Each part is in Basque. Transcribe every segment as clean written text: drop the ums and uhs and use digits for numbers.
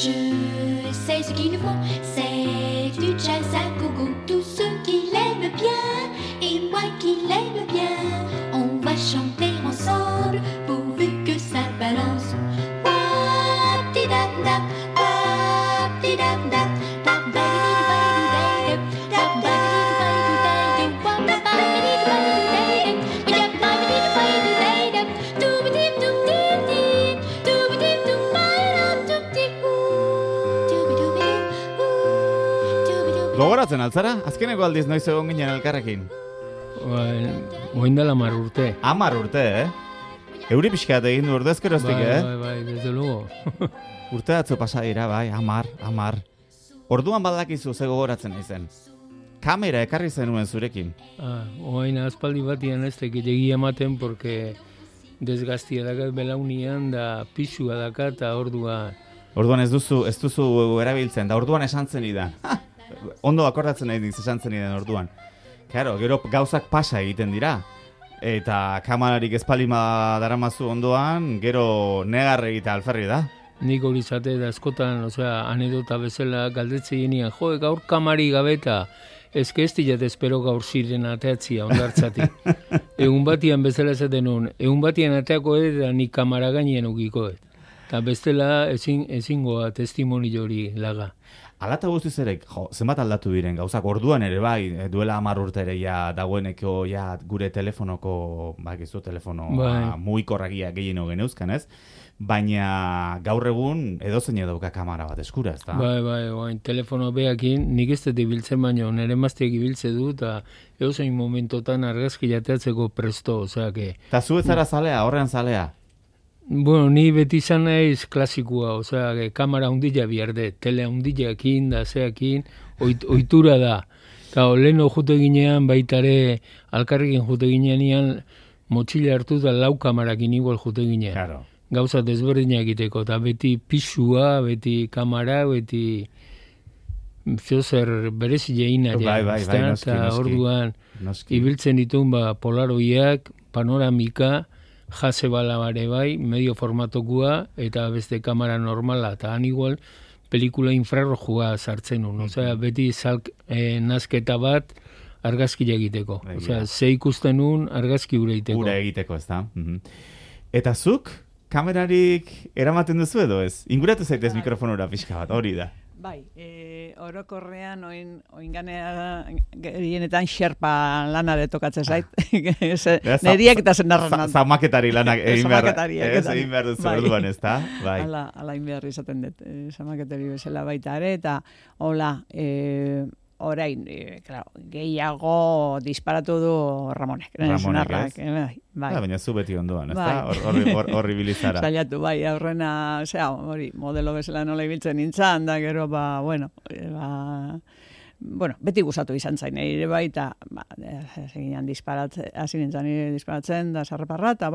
Je sais ce qu'il nous faut, c'est du jazz à gogo. Tous ceux qui l'aiment bien et moi qui l'aime bien, on va chanter ensemble pourvu que ça balance. Wap-di-dap-dap, wap-di-dap-dap, dap-ba-di-di-ba-di-di-dap, dap-ba-di-di-ba-di-di-dap, wap-ba-di-di-ba-di-di-dap, wap-ba-di-di-ba-di-di-dap, dooba-dip-doop-dip-dip, dooba-dip-doop-ba-dum-dip-dip. Gogoratzen altzara, azkeneko aldiz noiz egon ginen elkarrekin. Oindela 10 urte. 10 urte, Euri pixkat egin du ordezkeroztik, Bai, desde luego. Urte atzo pasa dira, bai, 10. Orduan badakizu ze gogoratzen naizen. Kamera ekarri zenuen zurekin. Oain aspaldi batian ez tekilegi ematen, porque desgaztia dakat belaunian, da pisua dakat, eta Orduan ez duzu erabiltzen, da orduan esan zen idan. Ondo akordatzen nahi esan zen idan orduan. Claro, gero gauzak pasa egiten dira. Eta kamerarik espalima daramazu ondoan, gero negar egita alferri da. Nik hori zate da askotan, anedota bezala galdetzen genian, gaur kamari gabeta, ez diat espero gaur ziren ateatzia ondartzatik. Egun batian bezala esaten nuen, egun batian ateako eta nik kamara gainien ukiko. Eta bestela ezingoa testimonio hori laga. Alata guztiz ere, zenbat aldatu diren gauzak, orduan ere bai, duela 10 urte ere ja dagoeneko ja gure telefonoko, telefono mugikorragia gehieno geneuzkan, ez? Baina gaur egun edozein dauka kamera bat eskura, ez da? Bai, telefono behakin, nik ez dut ibiltzen baino, nire mazteak ibiltze du, eta edozein momentotan argazki jateatzeko presto, osea. Eta zu ez zara zalea, horrean zalea? Bueno, ni beti izan naiz klasikoa, kamera hundila biarde, tele hundilakin da, zeakin, ohitura da. Eta leheno jute ginean, baitare, alkarrekin jute ginean, motxila hartu da 4 kamarakin igual jute ginean. Claro. Gauza desberdinak egiteko, eta beti pisua, beti kamera, beti zer berezi jeina. Bai, noski. Orduan, ibiltzen ditun polaroiak, panoramika, jase bala bare bai, medio formatokua, eta beste kamera normala, eta han igual pelikula infrarrojua sartzen un. Beti nazketa bat argazkia egiteko. Ze ikusten un argazki gure egiteko. Gure egiteko, ez da. Eta zuk, kamerarik eramaten duzu edo ez? Inguratu zaitez mikrofonora pixka bat, hori da. Bai, orokorrean oinganea gehienetan xerpa lana de tokatzen zait. Neriak eta zenarran. Zamaketari lanak egin behar duzu orduan, ez da? Hala egin behar izaten dut, zamaketari bezala baita ere, eta hola, orain, gehiago disparatu du Ramonek. Ramonek, ez? Baina zu beti ondoan, ez da? Horri bilizara. Zailatu, bai, aurrena, hori, modelo bezala nola ibiltzen nintzen, da gero, beti gustatu izan zain, ere bai, eta hasi nintzen disparatzen, da sarreparra, eta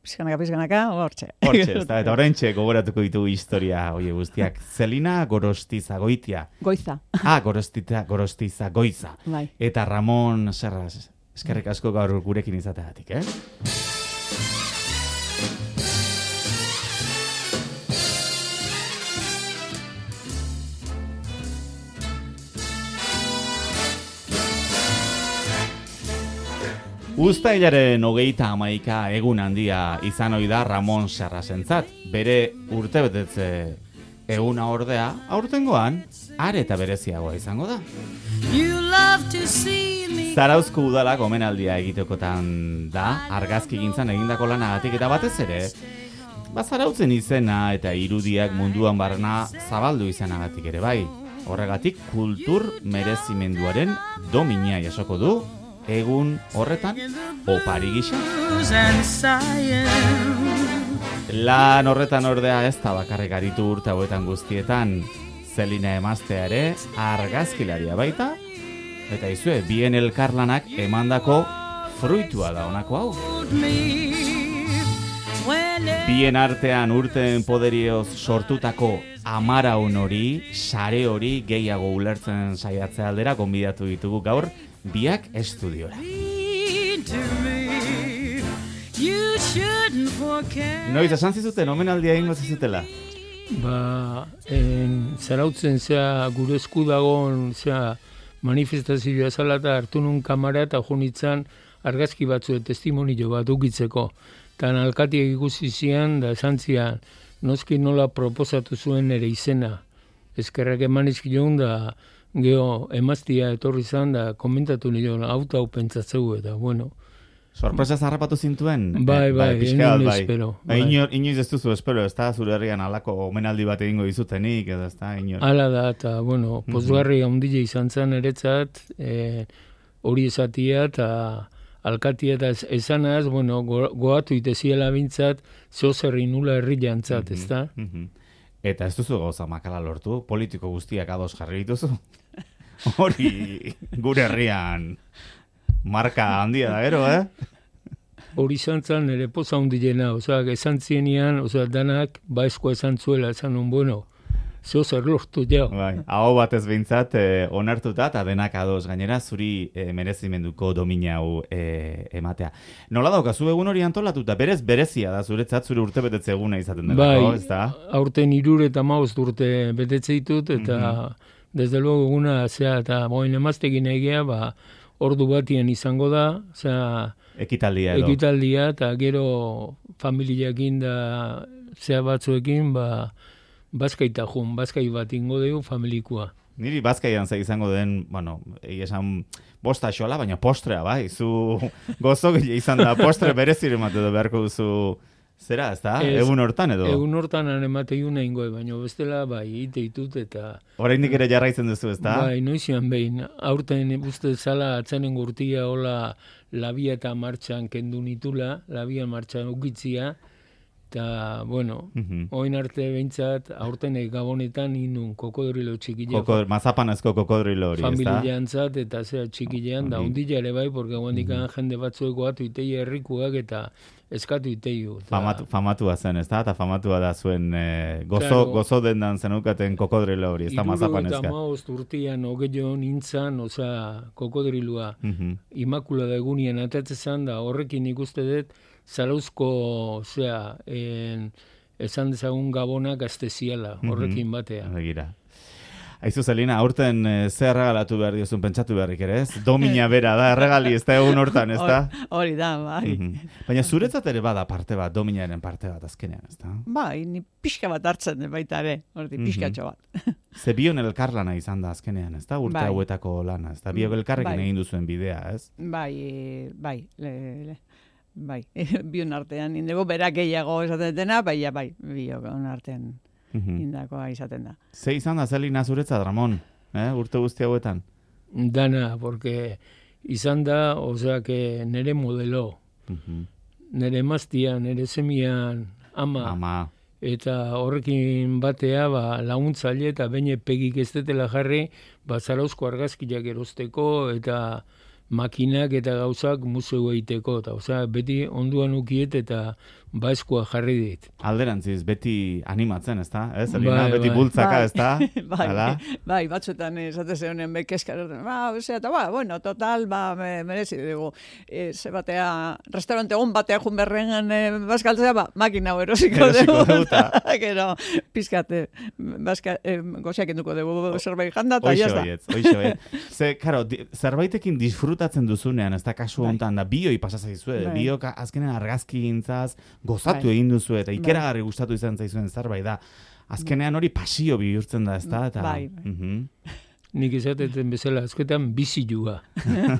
pizkanaka, hortxe. Hortxe, ez da, eta oraintxe gogoratuko ditugu historia, oie guztiak. Zelina Gorostizagoitia. Goiza. Gorostizagoiza. Bai. Eta Ramon Serras, eskerrik asko gaur gurekin izateagatik, Uztailaren 31 egun handia izan ohi da Ramon Serrasentzat. Bere urtebetetze eguna ordea, aurtengoan, are eta bereziagoa izango da. Zarauzko udalak omenaldia egitekotan da, argazkigintzan egindako lanagatik eta batez ere, Zarautzen izena eta irudiak munduan barna zabaldu izanagatik ere bai. Horregatik kultur merezimenduaren domina jasoko du, egun horretan opari gisa. Lan horretan ordea ez da bakarrik aritu urte hauetan guztietan, Zelina emaztea ere argazkilaria baita, eta izue, bien elkarlanak emandako fruitua da honako hau. Bien artean urten poderioz sortutako amaraun hori, sare hori gehiago ulertzen saiatzea aldera gonbidatu ditugu gaur, biak estudiora. Noiz, esan zizuten, omenaldia egingo zizutela? zarautzen gure esku dagoen manifestazioa zala eta hartu nun kamera eta junitzen argazki batzu testimonio bat ukitzeko. Eta alkatiak ikusi zian da esan zian noski nola proposatu zuen ere izena. Eskerrak eman izkion da geho emaztia etorri zan da komentatu nion auto hau pentsatzeu eta bueno. Sorpresa zarrapatu zintuen? Bai, espero. Inoiz ez duzu espero, ez da zure herrian alako omenaldi bat egingo dizutenik, edo ez da, inoiz. Hala da, eta, bueno, pozgarri handile izan zen eretzat, hori esatia eta alkatia eta esanaz, bueno, goatu iteziela bintzat, zeozerri nula herri jantzat, ez da? Eta ez duzu gauza makala lortu, politiko guztiak ados jarri dituzu? Hori gure herrian marka handia da gero, Hori izan zen ere poza hundilena, esan zienian, danak baizkoa esan zuela, esan nun, bueno, zeo zer lortu jau. Bai, hau batez behintzat onartuta eta denak ados gainera zuri merezimenduko domina hau ematea. Nola daukazu egun hori antolatuta, berezia da zuretzat zure urtebetetze eguna izaten dela, ez da? Bai, aurten 75 urte betetze ditut, eta desde luego eguna, eta boin emaztekin egia, ordu batien izango da, ekitaldia eta gero familiakin da batzuekin, bazkai bat ingo dugu familikoa. Niri bazkaian izango den, bueno, esan bosta xola, baina postrea, bai, zu gozo gile izan da, postre berezire emate edo beharko duzu, zera, ez da? Egun hortan edo? Egun hortan emate iuna ingoe, baina bestela, bai, ite ditut eta... Oraindik ere jarraitzen duzu, ez da? Bai, noizian behin, aurten uste zala atzanen gurtia, hola, labia eta martxan kendu nitula, labia martxan ukitzia, eta, bueno, oin arte behintzat, aurten gabonetan inun kokodrilo txikilea. Mazapanezko kokodrilo hori, ez da? Familiantzat eta txikilean, da ondila ere bai, porque guandikan jende batzueko atu itei herrikuak eta eskatu iteiu. Famatua zen, ez da? Eta famatua da zuen gozo dendan zenukaten kokodrilo hori, ez da mazapanezka. 75 urtean ogeio nintzan, kokodrilua Imakulada egunian atatzezan da horrekin ikuste dut, Zarauzko, esan dezagun gabonak azteziala, horrekin batea. Begira. Aizu, Zelina, aurten ze erregalatu behar diozun pentsatu beharrik ere, ez? Domina bera da, erregali, ez da egun hortan, ez da? Hori da, bai. Baina zuretzat ere bada parte bat, dominaren parte bat azkenean, ez da? Bai, ni pixka bat hartzen baita ere, hori pixkatxo bat. Ze bion elkarlana izan da azkenean, ez da? Urte hauetako lana, ez da? Bion elkarrekin egin duzuen bidea, ez? Bai, bion artean, indego berak gehiago esaten dena, bai, bion artean indakoa izaten da. Ze izan da Zelina zuretzat, Ramon, urte guzti hauetan? Dana, porque izan da, nere modelo, nere emaztia, nere semian, ama. Eta horrekin batea, laguntzaile eta baina pegik ez detela jarri, Zarauzko argazkiak erosteko eta makinak eta gauzak museu egiteko, eta beti onduan ukiet eta baizkoa jarri dit. Alderantziz, beti animatzen, ez da? Zelina, beti bultzaka, ez da? Bai, batzuetan esate zeunen bekezkaroten, bueno, total, merezi dugu. Ze batea, restaurante egon batea jun berrengan bazkaltzea, makina erosiko dugu. Gero, pizkate, goziak enduko dugu zerbait janda, eta jazda. Hoixo, Ze, karo, zerbaitekin disfrutatzen duzunean, ez da kasu hontan, da bioi pasazaizue, biok azkenen argazki gintzaz, gozatu egin duzu eta ikeragarri gustatu izan zaizuen zerbait da. Azkenean hori pasio bihurtzen da, ez da? Bai. Nik izateten bezala, azketan bizilua.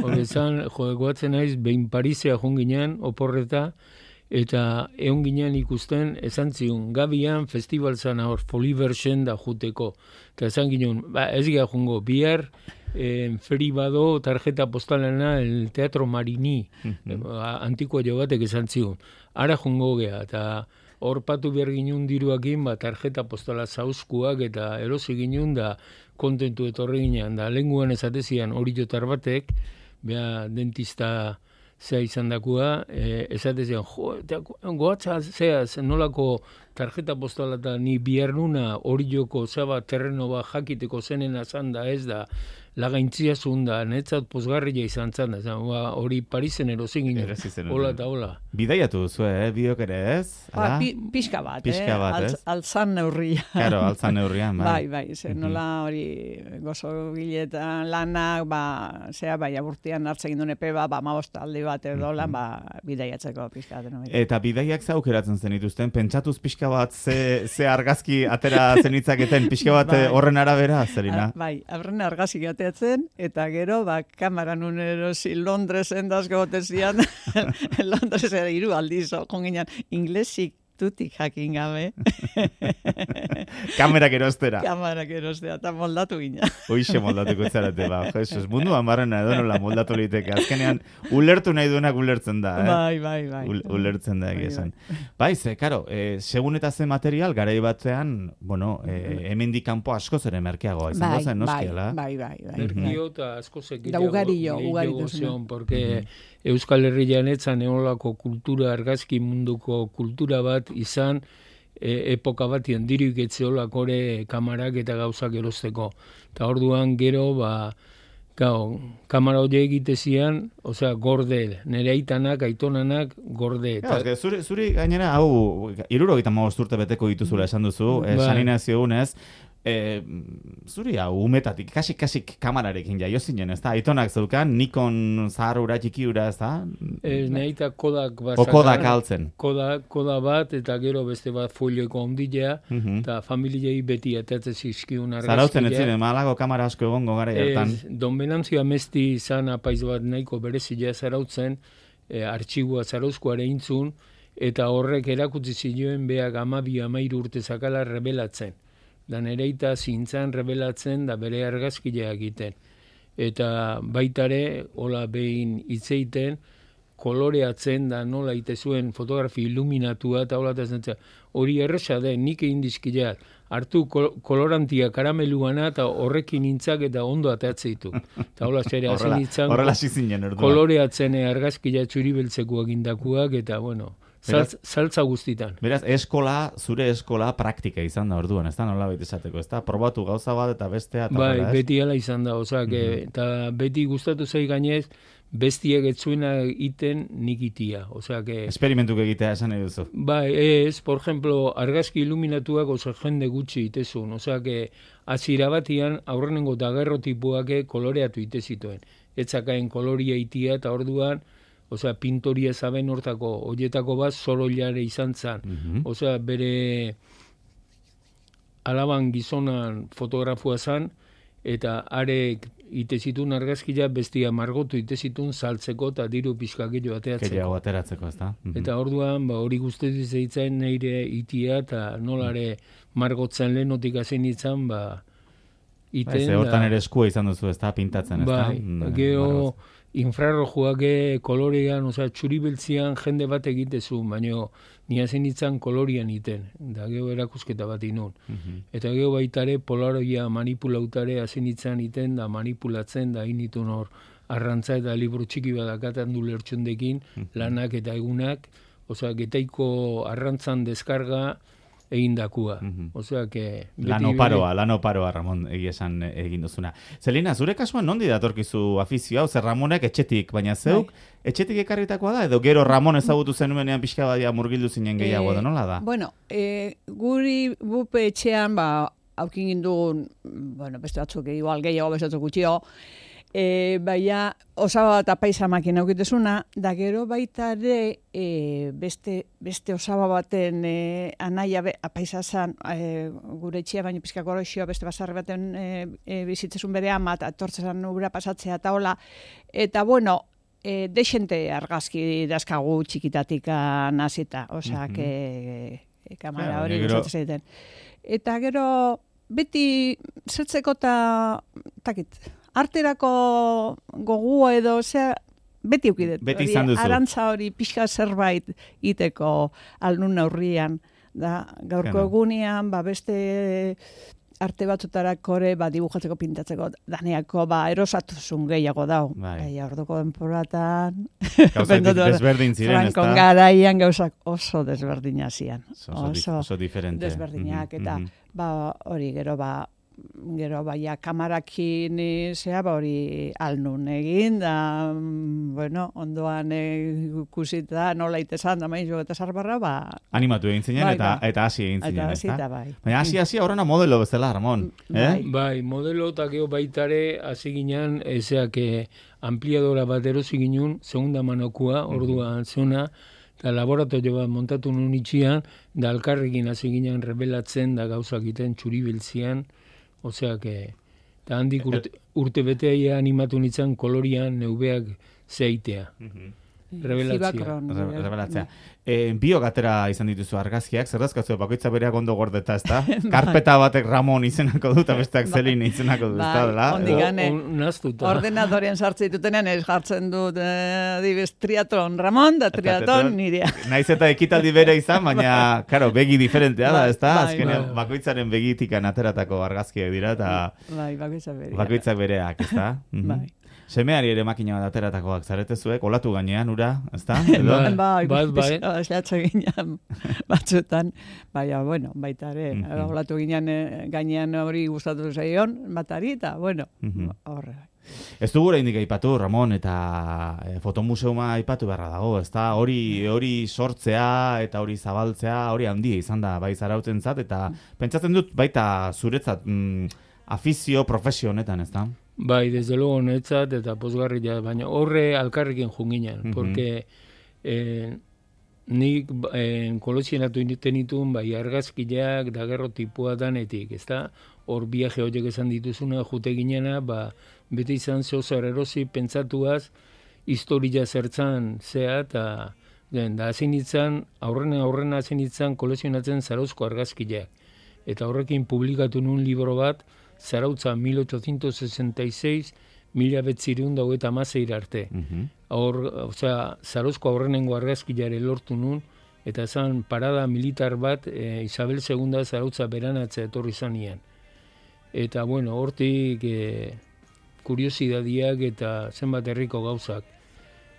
Horrezan, goatzen naiz, behin Parisea joan ginean, oporreta, eta egon ginean ikusten, esan zion, Gabian festival zan hor, Foliversen da juteko. Eta esan ginen, ez gira jongo, bihar, Feribado tarjeta postalena el Teatro Marini, antikoa jo batek esan zion. Ara jongo gea, eta hor patu behar ginen diruakin, tarjeta postala zauzkuak, eta erosi ginen da kontentu etorri ginen, da lenguan esatezian hori jotar batek, beha dentista zea izan dakua, esatezian, goatza zeaz, nolako tarjeta postala eta ni bihar nuna hori joko zaba terreno bat jakiteko zenena zan da ez da, lagaintzia zunda, netzat pozgarria izan zen, hori Parisen erosin ginen, hola eta hola. Bidaiatu duzu, biok ere ez? Pixka bat, altzan neurria. Claro, altzan neurrian, bai, nola hori gozo giletan lanak, bai, aburtian hartzen gindun epe, aldi bat edo lan, bidaiatzeko pixka bat. Eta bidaiak ze aukeratzen zen dituzten, pentsatuz pixka bat ze argazki atera zenitzaketen, pixka bat horren arabera, Selina? Bai, horren argazki ateatzen, eta gero, kamara nun erosi Londresen dazko gotezian, Londresen 3 aldiz, konginan, inglesik tutik jakin gabe. Kamerak erostera, eta moldatu gina. Hoixe moldatuko zarete, Jesus, munduan barrena edo nola moldatu liteke. Azkenean, ulertu nahi duenak ulertzen da, Bai. Ulertzen da, egizan. Bai, según eta ze material, garai batzean, hemendik kanpo askoz ere merkeagoa izango zen, noskiela? Bai. Merkio eta askoz Da ugarillo porque Euskal Herrian etzan eolako kultura, argazki munduko kultura bat izan, epoka batien diruik etzeolakore kamarak eta gauzak erosteko. Eta orduan gero, kamara hori egitezian, gorde, nire aitanak, aitonanak, gorde. Zuri gainera, hau, 75 urte beteko dituzula esan duzu, saninazio unez, zuri hau umetatik, kasik kamararekin jaio zinen, ez da? Aitonak zeukan, Nikon zaharura txikiura, ez da? Neita Kodak bat. Kodak altzen. Kodak bat, eta gero beste bat folioeko ondilea, eta familiei beti atatzen zizkiun argazkilea. Zarautzen ez ziren, malago kamara asko egongo gara hartan. Don Benantzio amesti izan apaiz bat nahiko berezilea zarautzen, artxigua zarauzkoare intzun, eta horrek erakutsi zioen beak 12-13 urte zakala rebelatzen. Da nereita zintzan rebelatzen da bere argazkilea egiten. Eta baitare, hola behin hitzeiten, koloreatzen da nola ite zuen fotografi iluminatua eta hola eta zentzea. Hori erresa den, nik egin dizkileak, hartu kolorantia karameluana eta horrekin nintzak eta ondo ateatzeitu. Eta hola zere, hazen nintzan koloreatzen argazkilea txuribeltzeko egindakuak eta saltza guztitan. Beraz, zure eskola praktika izan da orduan, ez da nola baita esateko, ez da? Probatu gauza bat eta bestea. Bai, beti ala izan da, eta beti gustatu zai gainez, bestiak etzuena iten nik itia. Esperimentuk egitea esan nahi duzu. Bai, por ejemplo, argazki iluminatuak jende gutxi itezun. Azira batian aurrenengo dagerrotipuak koloreatu itezituen. Etzakaen koloria itia eta orduan, pintoria zaben hortako, horietako bat zoroilare izan zan. Bere alaban gizonan fotografua zan, eta arek itezitun argazkia bestia margotu itezitun saltzeko eta diru pixka gehiago ateatzeko. Gehiago ateratzeko, ez da? Eta orduan, hori guztetu zeitzen neire itia eta nolare margotzen lehenotik hazen itzan, iten. Hortan ere eskua izan duzu, ez da? Pintatzen, ez da? Bai, geho infrarrojuak kolorean, txuribeltzian jende bat egitezu, baina nia zen itzan kolorian iten, da geho erakusketa bat inun. Eta geho baitare polaroia manipulautare hazen itzan iten, da manipulatzen, da initun hor arrantza eta liburu txiki badakatan du lertxondekin, lanak eta egunak, getaiko arrantzan deskarga egindakua. Lanoparoa, Ramon, esan egin duzuna. Selina, zure kasuan nondi datorkizu afizioa? Ramonek etxetik, baina zeuk, etxetik ekarritakoa da? Edo gero Ramon ezagutu zenuenean pixka badia murgildu zinen gehiago da, nola da? Guri bupe etxean, aukin gindugun, beste batzuk gehiago, beste batzuk gutxio, baina osaba bat apaisa makina aukitezuna, da gero baita ere beste osaba baten anaia apaisa zan gure etxea, baina pizka goroxio beste basarri baten bizitzezun bere ama, eta etortzen ura pasatzea eta hola, eta dexente argazki dazkagu txikitatik nazita, kamara hori gustatzen zaiten. Eta gero beti zertzeko eta takit, arterako gogua edo, beti eukidet. Beti izan duzu. Arantza hori pixka zerbait iteko alnun aurrian. Gaurko egunean, beste arte batzutarako ere, dibujatzeko pintatzeko, daneako erosatuzun gehiago dau. Orduko denporatan. Gauzak desberdin ziren, ez da? Frankon garaian gauzak oso desberdina zian. Oso diferente. Desberdinak, eta hori gero gero baina kamarakin hori alnun egin, da, bueno, ondoan ikusita nola itesan da maiz eta sarbarra, animatu egin zinen eta hasi egin zinen, ezta? Baina hasi horrena modelo bezala, Ramon. Bai, modelo eta gero baitare hasi ginen, ezeak ampliadora bat erosi ginen, segunda manokua, orduan zona, eta laboratorio bat montatu nun itxian, da alkarrekin hasi ginen rebelatzen, da gauzak iten txuribiltzian, oseak, eta handik urte betea animatu nintzen kolorian neubeak zeitea. Rebelatzea. Biok atera izan dituzu argazkiak, zer dazkatzu bakoitza bereak ondo gordeta, ezta? Karpeta batek Ramon izenako dut, eta besteak Zelin izenako dut, ezta? Ordenadorean sartzen ditutenean jartzen dut triatlon Ramon, da triatlon nirea. Naiz eta ekitaldi bere izan, baina, karo, begi diferentea da, ezta? Azkenean, bakoitzaren begitikan ateratako argazkiak dira, eta bakoitzak bereak, ezta? Bai. Semeari ere makina bat ateratakoak zaretezuek, olatu gainean, ura, ezta? Bai, eslatze ginean batzutan, bueno, baita ere, olatu gainean hori gustatu zaion, batari, eta, bueno, horre. Ez dugu oraindik aipatu, Ramon, eta fotomuseuma aipatu beharra dago, ezta? Hori sortzea eta hori zabaltzea, hori handia izan da, bai Zarautentzat, eta pentsatzen dut baita zuretzat afizio profesio honetan, ezta? Bai, desde luego honetzat eta pozgarria, baina horre alkarrekin junginen, porque nik kolekzionatu tenitun bai argazkileak da gerro tipua danetik, ezta? Hor viaje horiek esan dituzuna jute ginena, beti izan zehozer erosi pentsatuaz historia zertzan zea, eta da hasi nintzen, aurrena hasi nintzen kolekzionatzen Zarauzko argazkileak. Eta horrekin publikatu nun libro bat, Zarautza 1866, 1926 arte. Zarauzko aurrenengo argazkilare lortu nun, eta zan parada militar bat Isabel II Zarautza beranatza etorri zanean. Eta, bueno, hortik kuriosidadiak eta zenbat herriko gauzak.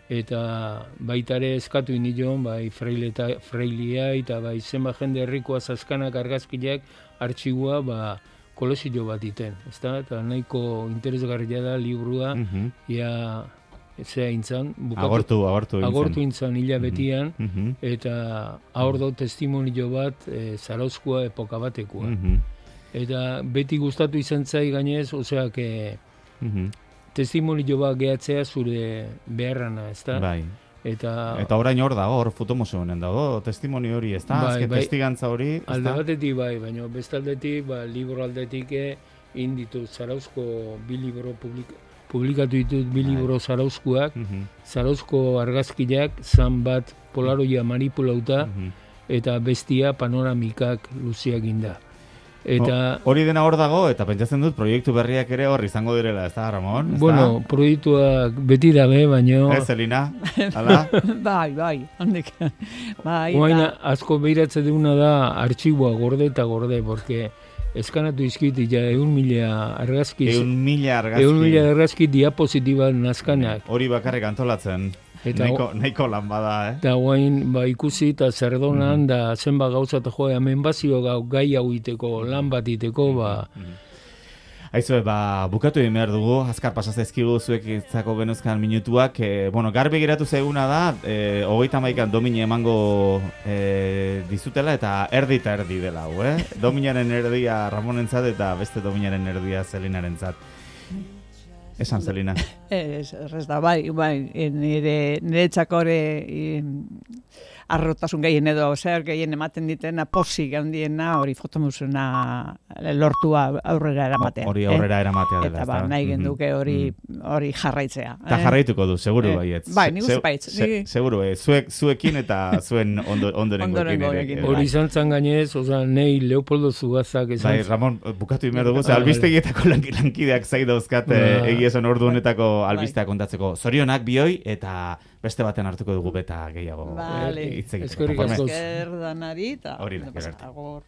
Eta baitare eskatu inion, bai Freilea eta bai zenbat jende herrikoa zaskanak argazkileak artxigua, kolezio bat iten, ezta? Eta nahiko interesgarria da liburua, zea intzan, agortu intzan hilabetian, eta hor do testimonio bat Zarauzkoa epoka batekoa. Eta beti gustatu izan zai gainez, oseak testimonio bat gehatzea zure beharrana, ezta? Bai. Eta orain hor dago, hor fotomuseonen dago, testimoni hori, ezta? Azken testigantza hori, ezta? Alde batetik bai, baina bestaldetik, libro aldetik inditu Zarauzko bi libro publikatu ditut bi libro Zarauzkoak, Zarauzko argazkileak, zan bat polaroia manipulauta, eta bestia panoramikak luziak inda. Hori dena hor dago, eta pentsatzen dut proiektu berriak ere hor izango direla, ez da, Ramon? Bueno, proiektuak beti dabe, baina... Ez, Zelina? Hala? Bai, handik. Oain, asko behiratzen duguna da artxiboa gorde eta gorde, porque eskanatu izkiti ja 1.000 argazki. 1.000 argazki diapositiba nazkanak. Hori bakarrik antolatzen. Nahiko lan bada, Eta guain, ikusi eta zerdonan, da zenba gauza eta joa, hemen bazio gai hau iteko, lan bat iteko, Aizue, bukatu egin behar dugu, azkar pasazezkigu zuek itzako genuzkan minutuak. Garbi geratu zaiguna da, 31an domine emango dizutela, eta erdi dela, Dominaren erdia Ramonentzat eta beste dominaren erdia Zelinarentzat. Esan, Zelina. Ez da, bai, nire txakore arrotasun gehien edo, gehien ematen ditena, posik handiena, hori fotomuseuna lortua aurrera eramatea. Hori aurrera eramatea dela. Eta nahi genduke hori jarraitzea. Eta jarraituko du, seguru baietz. Bai, nik uste baitz. Seguru, zuekin eta zuen ondorengoekin. Hori izan zan gainez, nahi Leopoldo Zugazak esan. Bai, Ramon, bukatu egin behar dugu, albistegietako lankideak zai dauzkat egia esan ordu honetako albisteak kontatzeko. Zorionak bioi eta beste baten hartuko dugu beta gehiago. Eskerrik asko. Eskerrik asko.